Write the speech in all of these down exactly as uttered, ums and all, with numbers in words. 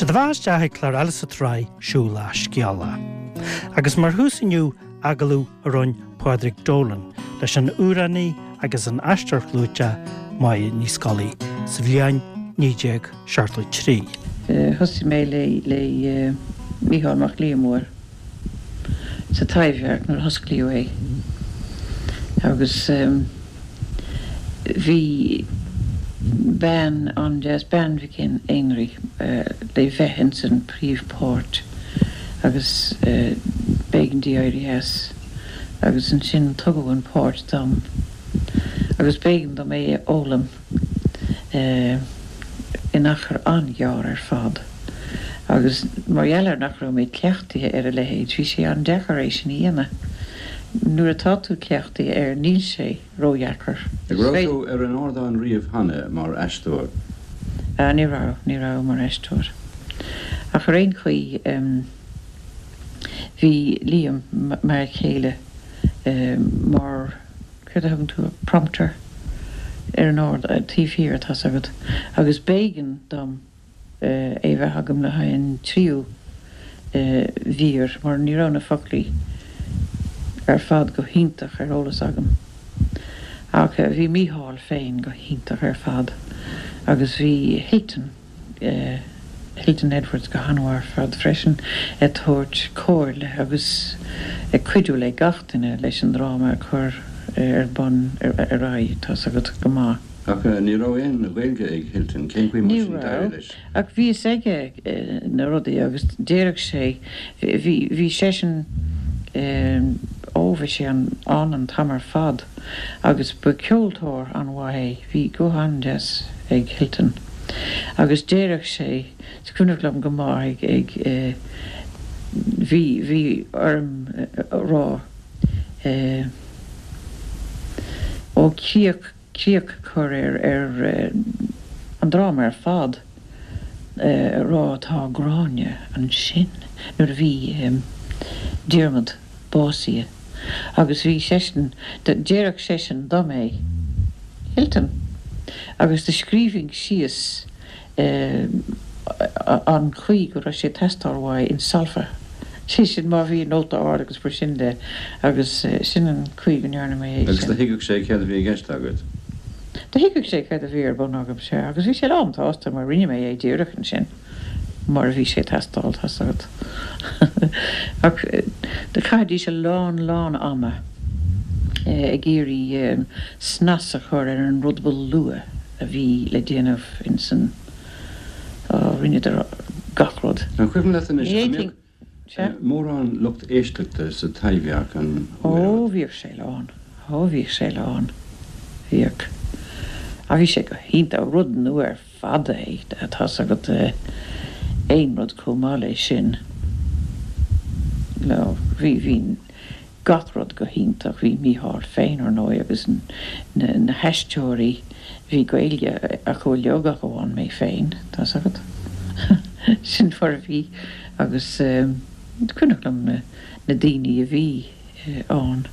Sé do bheatha isteach ag clár eile sa tsraith Siúil Scéala. Agus mar thús inniu agallamh a rinne Pádraig Dolan leis an amhránaí agus an aisteoir clúiteach Máire Ní Scolaí sa bhliain naoi déag seachtó trí. Thosaigh mé le le Mícheál Mac Liammóir sa Taibhdhearc nuair a hosclaíodh é agus bhí bean an-deas, Bean Mhic Éinrí le bheith ins an príomhpháirt agus b'éigean di éirí as agus ansin tugadh an páirt dom agus b'éigean dom é a fhoghlaim in achar an-ghearr ar fad. Agus mar gheall ar nach raibh mé cleachtaithe ar a leithéid, bhí sé an-deacair é sin a dhéanamh. Nuair atá tú cleachtaithe air, níl sé ródheacair. An raibh tú ar an ardán riamh cheana mar aisteoir? Ní raibh, ní raibh mar aisteoir. Ach ar aon chaoi, bhí Liam, m'fhear céile, mar, céard a thugann tú, prompter ar an ard, taobh thiar, tá's agat, agus b'éigean dom é bheith agam le haghaidh an tríú mhír mar ní raibh na foclaí ar fad go hiontach ar eolas agam. Ach bhí Mícheál féin go hiontach ar fad agus bhí Hilton, Hilton Edwards go han-mhaith ar fad freisin ag tabhairt comhairle agus ag cuidiú le gach duine leis an dráma a chur ar bun ar aghaidh, tá's agat, go maith. Ach ní raibh aon Ghaeilge ag Hilton, cén chaoi mar Ní sin d'éirigh raibh, leis? ach bhí fhios aige na rudaí agus déarfadh sé, bhí, bhí seisean, ó bhí sé ann an t-am ar fad agus ba ceoltóir an-mhaith é, bhí guth an-deas ag Hilton agus déarfadh sé, is cuimhneach liom go maith ag, ag, bhí, bhí orm a rá, ó críoch, críoch a chur ar, ar an dráma ar fad, a rá tá Gráinne ansin nuair a bhí Diarmaid básaithe agus bhí seisean, déarfadh seisean dom é, Hilton, agus do scríobhainn síos an chaoi go raibh sé ag teastáil uaidh in solfa, sé sin má bhí nóta ard agus mar sin de agus sin an chaoi go ndearna mé é Agus sin. do thuigfeadh sé céard a bhí i gceist agat? Do thuigfeadh sé céard a bhí ar bun agam, sea, agus bhí sé lán tsásta mar rinne mé é díreach ansin mar a bhí sé ag teastáil, tá's agat. Ach do chaithidís a lán lán ama ag iarraidh snas a chur ar an rud ba luath a bhí le déanamh ins an, ó rinneadar gach rud. An cuimhin leat anois Ní an fhéadfainn, sea. mbeadh mórán lucht éisteachta sa Taibhdhearc an Ó uair? bhíodh sé lán, ó bhíodh sé lán, bhíodh. Ach bhí sé go hiontach, rud nua ar fad é, tá's agat, aon rud chomh maith leis sin. No, bhí, bhí gach rud go hiontach, bhí Mícheál féin ar ndóigh agus na, na haisteoirí, bhí Gaeilge acu uilig ach amháin mé féin, tá's agat. Sin mar a bhí agus cuimhneach liom na, na daoine a bhí ann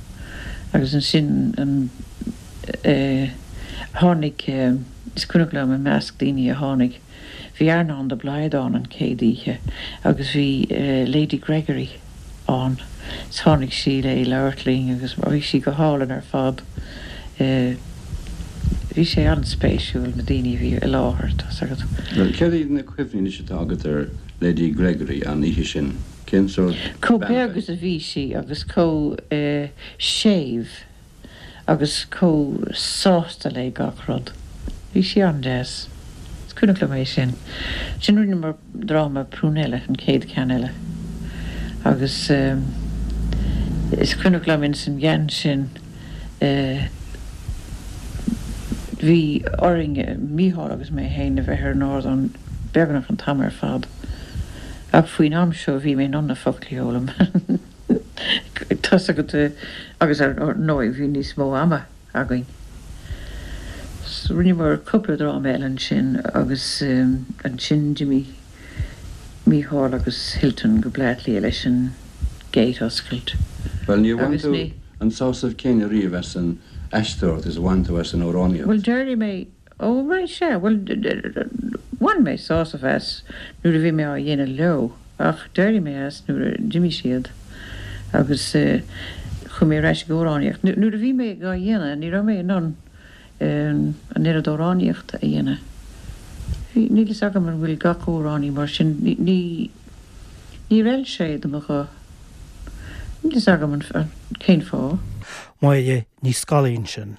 agus ansin an tháinig, is cuimhneach liom i measc daoine a tháinig, bhí Earnán de Blaghd ann an chéad oíche agus bhí Lady Gregory ann is tháinig sí le labhairt linn agus bhí sí go hálainn ar fad. Bhí sé an-spéisiúil na daoine a bhí i láthair, tá's agat. Bhuel, céard iad na cuimhní anois atá agat ar Lady Gregory an oíche sin? Cén sórt Chomh bean beag a bhí? is a bhí sí agus chomh séimh agus chomh sásta le gach rud. Bhí sí an-deas. Is cuimhneach liom é sin. Sin rinneamar dráma Prunella an chéad cheann eile. Agus is cuimhneach liom ins an gceann sin bhí orainn, Mícheál agus mé féin, a bheith ar an ardán beagnach an t-am ar fad. Ach faoin am seo bhí mé in ann na foclaí a fhoghlaim. Tá's agat agus ar ndóigh bhí níos mó ama againn. Rinneamar cúpla dráma eile ansin agus ansin d'imigh Mícheál agus Hilton go Bleá Cliath leis an Gate Oscailt. Bhuel, níor bhain Agus tú ní. an sásamh céanna riamh as an aisteoireacht is a bhain tú as an amhránaíocht. Bhuel, déarfaidh mé, ó right, sea, bhuel, Bhain mé sásamh as nuair a bhí mé á dhéanamh leo ach d'éirigh mé as nuair a d'imigh siad agus chuaigh mé ar ais ag amhránaíocht. Nuair a bhí mé á dhéanamh ní raibh mé in ann an oiread amhránaíochta a dhéanamh. Níl fhios agam an bhfuil gach amhránaí mar sin ní ní raibh sé do mo ghuth. Níl fhios agam an cén fáth. Máire Ní Scolaí sin.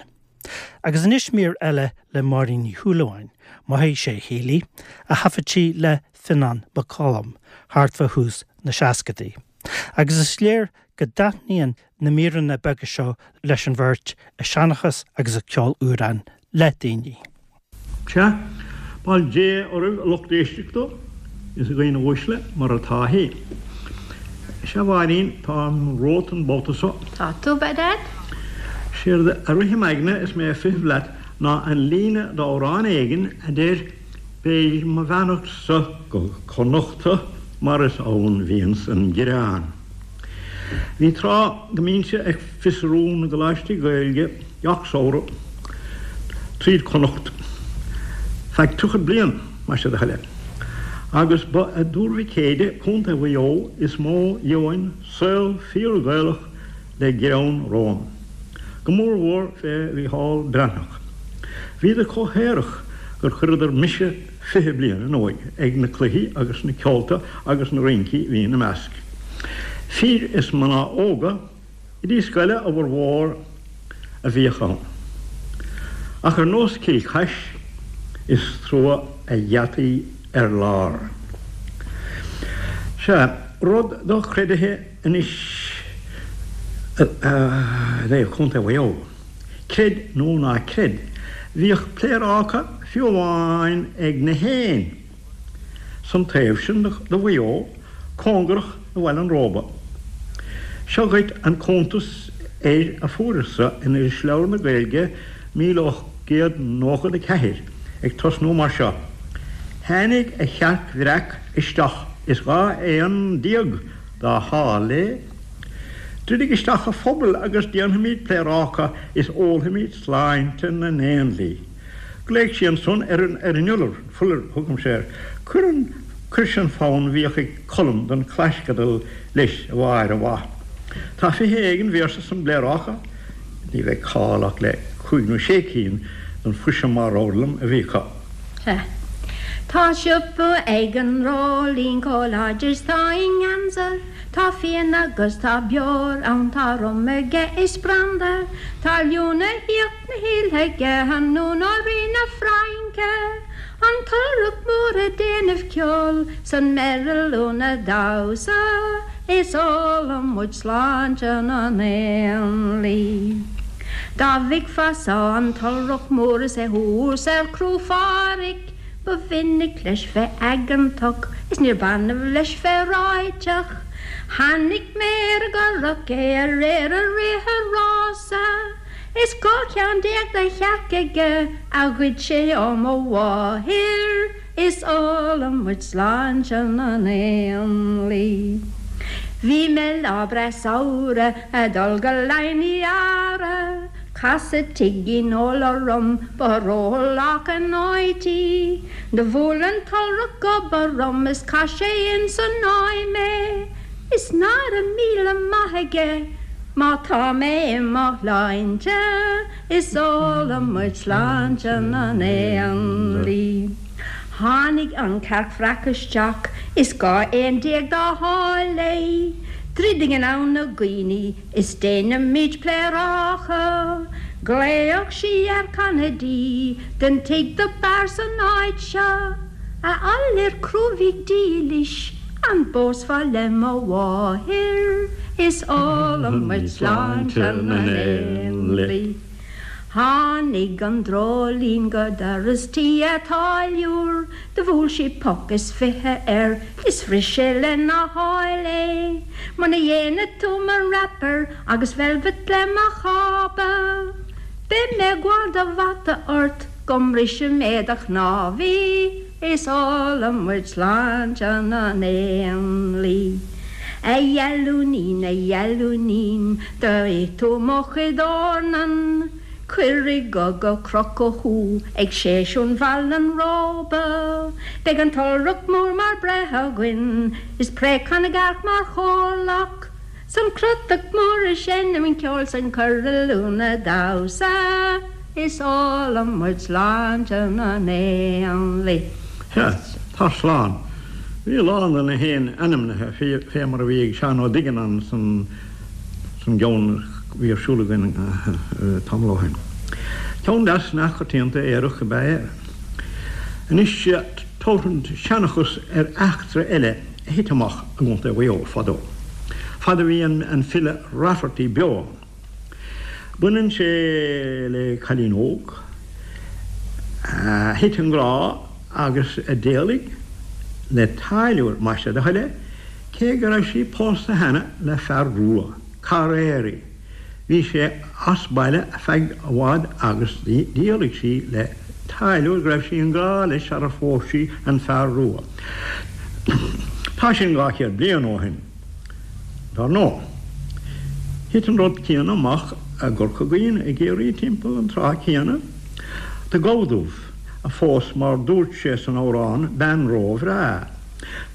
Agus anois mír eile le Máirín Ní Shúilleabháin, Mothaigh sé chéilí, a thaifead sí le Fionnán Mac Coluim, thart fá thús na seascadaí. Agus is léir go dtaitníonn na míreanna beaga seo leis an bheirt ag seanchas agus ag ceol amhrán le daoine. Sea, bail Dé oraibh a lucht éisteachta is a dhaoine uaisle mar atá hé. Sea a Mháirín táim romhat an babhta seo. Tá tú bad? Séard a rith im aigne is mé ag feitheamh leat ná an líne d'amhrán éigin a deir beidh mo bheannacht-sa go Connachta mar is ann bhíonns an greann. Bhí tráth go mbínnse ag fiosrú na gcoláistí Gaeilge gach samhradh tríd Connacht. Feadh tríocha bliain más é do thoil é. Agus ba i dTuar Mhic Éide Contae Mhaigh Eo is mó gheobhainn saol fíor-Ghaelach le greann romham. Go mór mhór fé Mhícheál Breathnach. Bhíodar chomh haerach gur chuireadar mise fiche bliain in óige ag na cluichí agus na ceolta agus na rincí bhí ina measc. Fir is mná óga oidí scoile a bhformhór a bhíodh ann. Ach ar nós Cill Chais is trua a gheataí ar lár. Sea, rud dochreidthe anois le Contae Mhaigh Eo. Creid nó ná creid, bhíodh pléaráca fiú amháin ag na héin san taobh sin de Mhaigh Eo, cóngarach do Bhaile an Róba. Seo dhuit an cuntas air a fuaireas-sa in Irisleabhar na Gaeilge míle ocht gcéad nócha a ceathair, ag tosnú mar seo, Tháinig a chearc bhreac isteach is dhá éan déag dá hál léi. Druidigh isteach a phuball agus déanfaimid pléaráca is ólfaimid sláinte na n-éanlaith. Ghlaoigh sí ansan ar an ar an iolar, fuller thugaimse air, Cuir an cuir an fonn a bhíodh ag Colm don Chlaisceadal leis, a Mháire mhaith. Tá fiche éigin véarsa san bpléaráca, ní bheidh call ach le cúig nó sé cinn den fuise mar fhoghlaim a bhí acu. Sea. Tá siopa ag an Dreoilín chomh láidir is tá i nGaza, Tá fíon agus tá beoir ann tá rum aige is branda, Tá liú na híocht na híle aige anún ó Rí na Fraince, An t-iolrach mór ag déanamh ceoil 's an meirliún ag damhsa, Is ólann muid sláinte na n-éanlaith. Dá bhfeicfeá-sa an t-iolrach mór is é thuas ar Chró Phádraig, Ba mhinic leis bheith aigeantach is níor b'annamh leis bheith ráiteach. Chonaic mé ar an gcurach é aréir ag rith an rása, Is dhá cheann déag de chearca aige a ghoid sé ó mo mháthair, Is ólann muid sláinte na n-éanlaith. Bhí mé lá breá samhraidh ag dul go Laighin Uí Eadhra, Casadh tigín óil orm ba róshalach an áit í. Do bhuail an t-iolrach gob orm is chaith sé ins an fháidh mé, Is nára míle maith aige má tá mé i mo shláinte, Is ólann muid sláinte na n-éanlaith. Tháinig an chearc bhreac isteach is dhá éan déag dá hál léi. Druidigí anonn a dhaoine is déanaimid pléaráca, Ghlaoigh sí ar Kennedy den tigh do b'fhearr san áit seo, A fhiolar chrúbhaigh dílis an bpósfá le mo mháthair, Is ólann muid sláinte na n-éanlaith. Tháinig an dreoilín go doras tí a' táilliúir, Do bhuail sí poc is fiche air is bhris sé lena sháil é. Muna dhéana tú mo wrapper agus velvet le mo chába, Beidh mé ag gabháil do bhata ort go mbrisfidh mé do chnámhaí, Is ólann muid sláinte na n-éanlaith. A dheilúinín, a dheilúinín, do ith tú mo chuid eornan, Cuir i gcogadh crochadh thú ag séisiún Bhaile an Róba. Beidh an t-iolrach mór mar breith againn is préachán na gcearc mar chomhlacht. 'S an crotach mór ag seinm an ceoil 's an coirliún ag damhsa is ólann muid sláinte na n-éanlaith. Sea, tar slán. Bhí a lán de na héin ainmnithe fé mar a bhí ag Seán Ó Duigeannáin san gceann a bhí ar siúl againn tamall ó shin. Ceann deas neamhchoitianta aerach ab ea é. Anois tabharfad seanchas ar eachtra eile a thit amach i gContae Mhaigh Eo fadó, fad a bhí an file Rafferty beo ann. Baineann sé le cailín óg a thit i ngrá agus a d'éalaigh le táilliúir, más é do thoil é, cé go raibh sí pósta cheana le fear rua, carraeirí. Bhí sé as baile feadh i bhfad agus d'éalaigh sí le táilliúir go raibh sí i ngrá leis sara phós sí an fear rua. Tá sin dhá chéad bliain ó shin, dar ndóigh. Thit an rud céanna amach i gCorca Dhuibhne i gCiarraí timpeall an tráth céanna. Do gabha dubh a phós mar dúirt sé san amhrán bean ró-bhreá.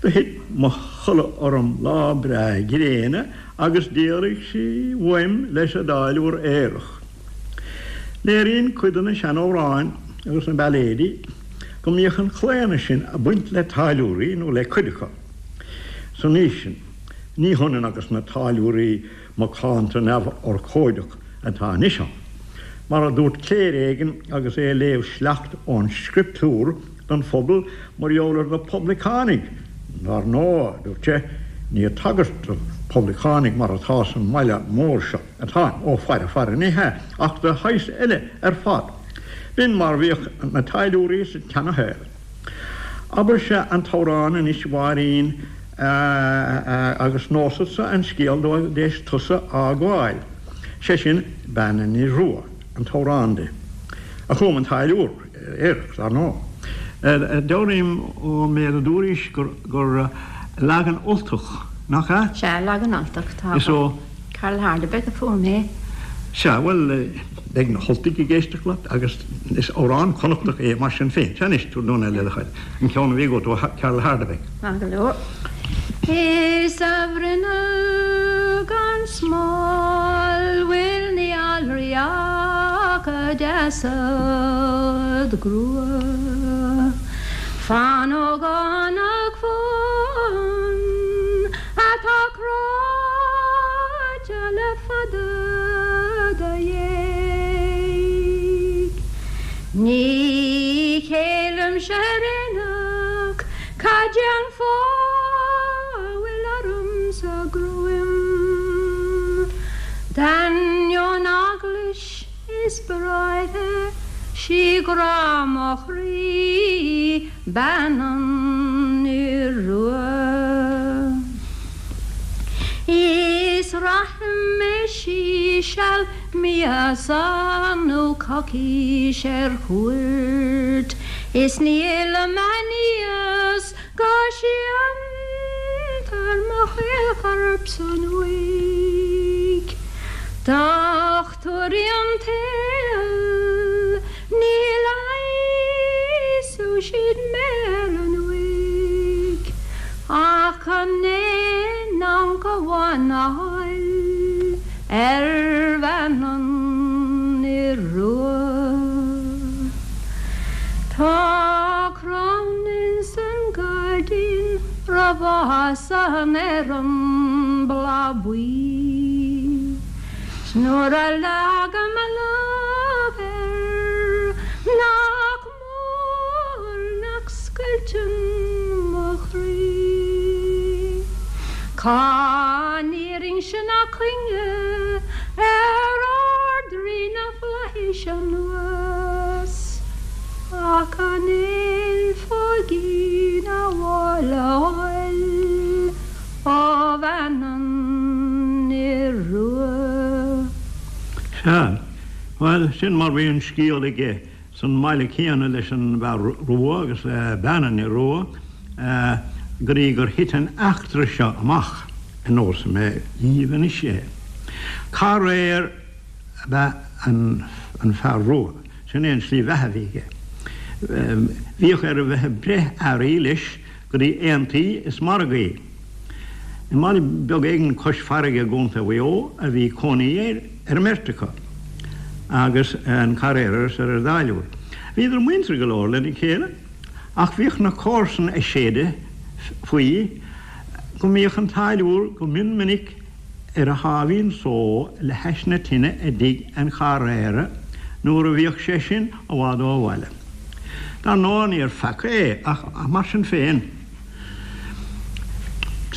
Do thit mo chodladh orm lá breá gréine agus d'éalaigh sí uaim leis an dtáilliúr aerach. Léiríonn cuid de na seanamhráin agus na bailéidí go mbíodh an claonadh sin ag baint le táilliúirí nó le cuid acu san aois sin. Ní hionann agus na táilliúirí macánta neamhurchóideach atá anois ann. Mar a dúirt cléir éigin agus é ag léamh sleacht ón scrioptúr don phobal mar gheall ar na poblacánaigh, Dar ndóigh, a dúirt sé, ní ag tagairt do phoblacánaigh mar atá san mbaile mór seo atáim, ó faire faire, ní hea, ach do shaghas eile ar fad. B'in mar bhíodh na táilliúirí sa tseanashaol. Abairse an t-amhrán anois a Mháirín agus neosadsa an scéal dóibh d'éis tusa a fhágáil, sé sin Bean an Fhir Rua, an t-amhrán di, a chum an táilliúr aerach, dar ndóigh. Dealraím ón méid a dúraís gur leagan Ultach, nach ea? Sea, leagan Ultach atá Is ó. Carl Hardebeck a fuair mé é. Sea, bhuel, beidh na hUltaigh ag éisteacht leat agus is amhrán Connachtach é mar sin féin. Sea anois, tabhair dúinn é le do thoil, an ceann a bhí agat ó Carl Hardebeck. Maith go leor. Is a bhruinneall gan smál bhfuil ní fhalraí ach a deasad grua. Fan ógánach fán atá cráite le fada do dhéidh. Ní chéillimse ar aonach cad é an fáth a bhfuil ormsa gruaim. D'ainneoin eaglais is bráithre 'sí grá mo chroí bean an fhir rua. Is rachaidh mé seal míosa nó coicís ar cuairt is ní fhillfidh mé aníos go séantar mo chaolchorp san uaigh. Dochtúirí an tsaoil ní leigheasfaidh siad mé ar an uaigh ach an aon amharc amháin a fháil ar bhean an fhir rua. Tá crann ins an gairdín roimh ar an mbláth buí. 'S nuair a leagaim mo lámh air nach mór nach scoilteann mo chroí. Cá n-iarrfainnse ná cuinge ar Ard-Rí na bhFlaithis anuas ach an aon phóigín amháin a fháil ó bhean an fhir rua. Sea, bhuel, sin mar bhí an scéal aige san mbaile céanna leis an bhfear rua agus le bean an fhir rua go dtí gur thit an eachtra seo amach, a neosfaidh mé dhíbh anois é. Carraeir ab ea an an fear rua. Sin é an slí bheatha a bhí aige. Bhíodh air a bheith ag breith earraí leis go dtí aontaí is margaí. I mbaile beag éigin cois farraige i gContae Mhaigh Eo a bhí cónaí air ar an mbeirt acu, agus an carraera is ar an dtáilliúir. Bhíodar muinteartha go leor lena chéile, ach bhíodh na comharsana ag séideadh faoi go mbíodh an táilliúir go mion minic ar a sháimhín só le hais na tine i dtigh an charraera nuair a bhíodh sé sin i bhfad ó bhaile. Dar ndóigh níor pheaca é, ach mar sin féin,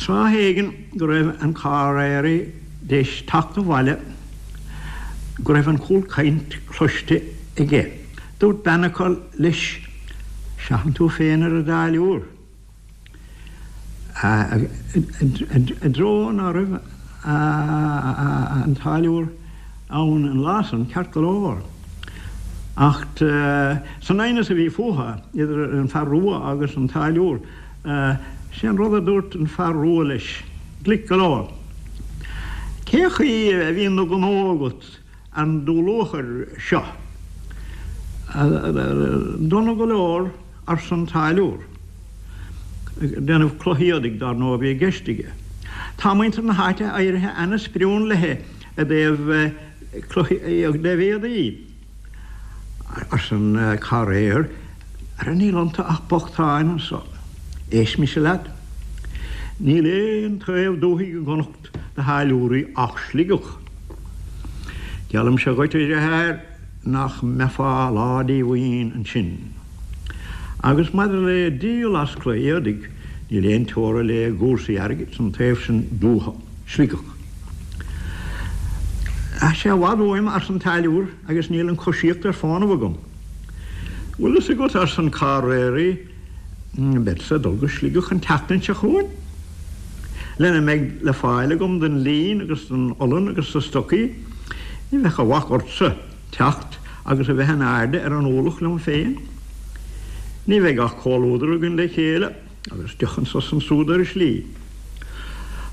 Tráth éigin go raibh an carraeraí d'éis teacht abhaile go raibh an chúlchaint cloiste aige. Dúirt bean acu leis, Seachain tú féin ar an dtáilliúir. I dtreo ná raibh an táilliúir ann an lá san, ceart go leor. Ach san aighneas a bhí fúthu, idir an fear rua agus an táilliúir, Sé an rud a dúirt an fear rua leis, glic go leor, Cé chaoi a bhíonn do ghnó agat an dúluachair seo? Dona go leor, arsa an táilliúr. Déanamh cloch éadaigh, dar ndóigh, a bhí i gceist aige. Tá muintir na háite éirithe ana-sprionlaithe i dtaobh cloch i dtaobh éadaí. Arsa an carraer, Ara níl iontu ach bochtáin anso. Éist mise leat. Níl aon taobh dúthaigh i gConnacht do tháilliúirí ach Sligeach. Geallaimse dhuit, a dheartháir, nach mbeifeá lá díomhaoin ansin. Agus maidir le díol as cloich éadaigh, níl aon teora le gcúrsaí airgid san taobh sin dútha, Sligeach. Tá sé i bhfad uaim, arsa an táilliúir, agus níl an choisíocht ar fónamh agam. Bhfuil fhios agat, arsa an carraeraí, beadsa ag dul go Sligeach an tseachtain seo chugainn, lena mbeidh le fáil agam den líon agus den olann agus de stocaí, ní bheadh a bhac ortsa teacht agus a bheith in airde ar an ualach liom féin. Ní bheidh ach comhluadar againn le chéile agus deoch anso is ansúd ar an slí.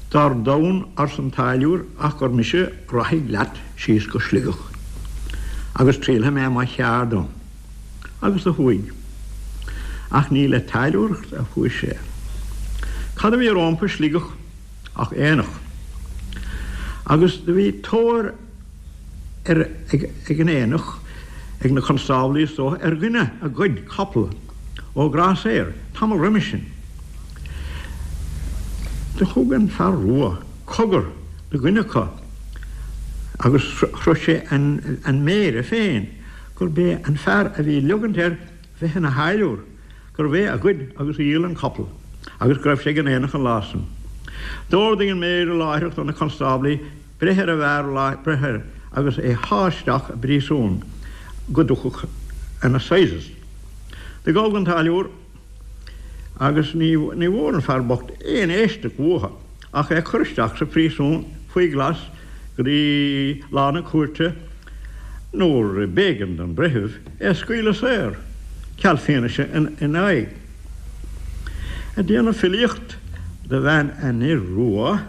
Dar domhan, arsa an táilliúir, ach gur mise rachaidh leat síos go Sligeach, agus triailfidh mé mo cheard ann. Agus do chuaigh. Ach ní le táilliúireacht a chuaigh sé. Cad a bhí rómpa i Sligeach ach aonach. Agus do bhí tóir ar ag an aonach, ag na constáblaí is dócha, ar dhuine a ghoid capall ó ghrásaeir tamall roimis sin. Do thug an fear rua cogar do dhuine acu agus shroich sé an méara féin gurb é an fear a bhí leogaint air bheith ina tháilliúir, gurbh é a ghoid agus a dhíol an capall agus go raibh sé ag an aonach an lá san. D'ordaigh an méara láithreach do na constáblaí breith ar an bhfear breith air agus é shá isteach i bpríosún go dtiocfadh an assizes. Do gabhadh an táilliúir agus ní bhfuair an fear bocht aon éisteacht uathu ach é cur isteach sa phríosún faoi ghlas go dtí lá na cúirte nuair b'éigean don bhreitheamh é a scaoileadh saor, ceal fianaise ina aghaidh. Ag déanamh filíocht do bhean an fhir rua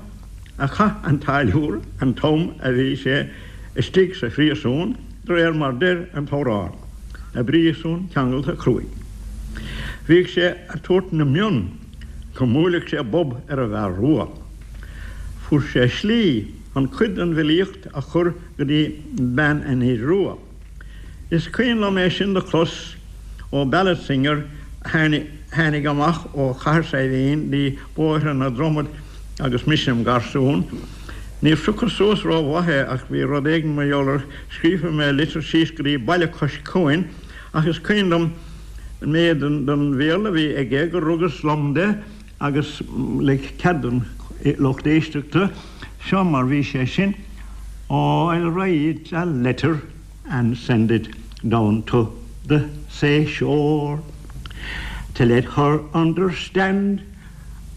a chaith an táilliúir an t-am a bhí sé istigh sa phríosún, de réir mar deir an t-amhrán, i bpríosún ceangailte cruaidh. Bhíodh sé ag tabhairt na mionn go mbuailfeadh sé bob ar an bhfear rua. Fuair sé slí chun cuid den bhfilíocht a chur go dtí bean an fhir rua. Is cuimhin liom é sin do chlos ó ballad singer a tháinig amach ó Chathair Saidhbhín dtí bóithre na Dromad agus mise im gharsún. Níor phiocas suas ró-mhaith é ach bhí rud éigin mar gheall air. Scríobhfaidh mé litir síos go dtí baile cois cuain ach is cuimhin liom an méid den Bhéarla a bhí aige gur rugas lom de agus le cead an lucht éisteachta, seo mar bhí sé sin, Oh, I'll write a letter and send it down to the seashore to let her understand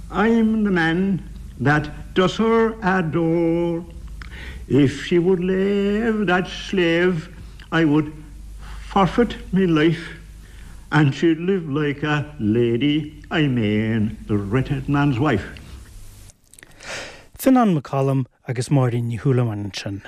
I'm the man that does her adore. If she would lave that slave I would forfeit me life and she'd live like a lady, I mane the wretched man's wife. Fionán Mac Coluim agus Máirín Ní Shúilleabháin ansin.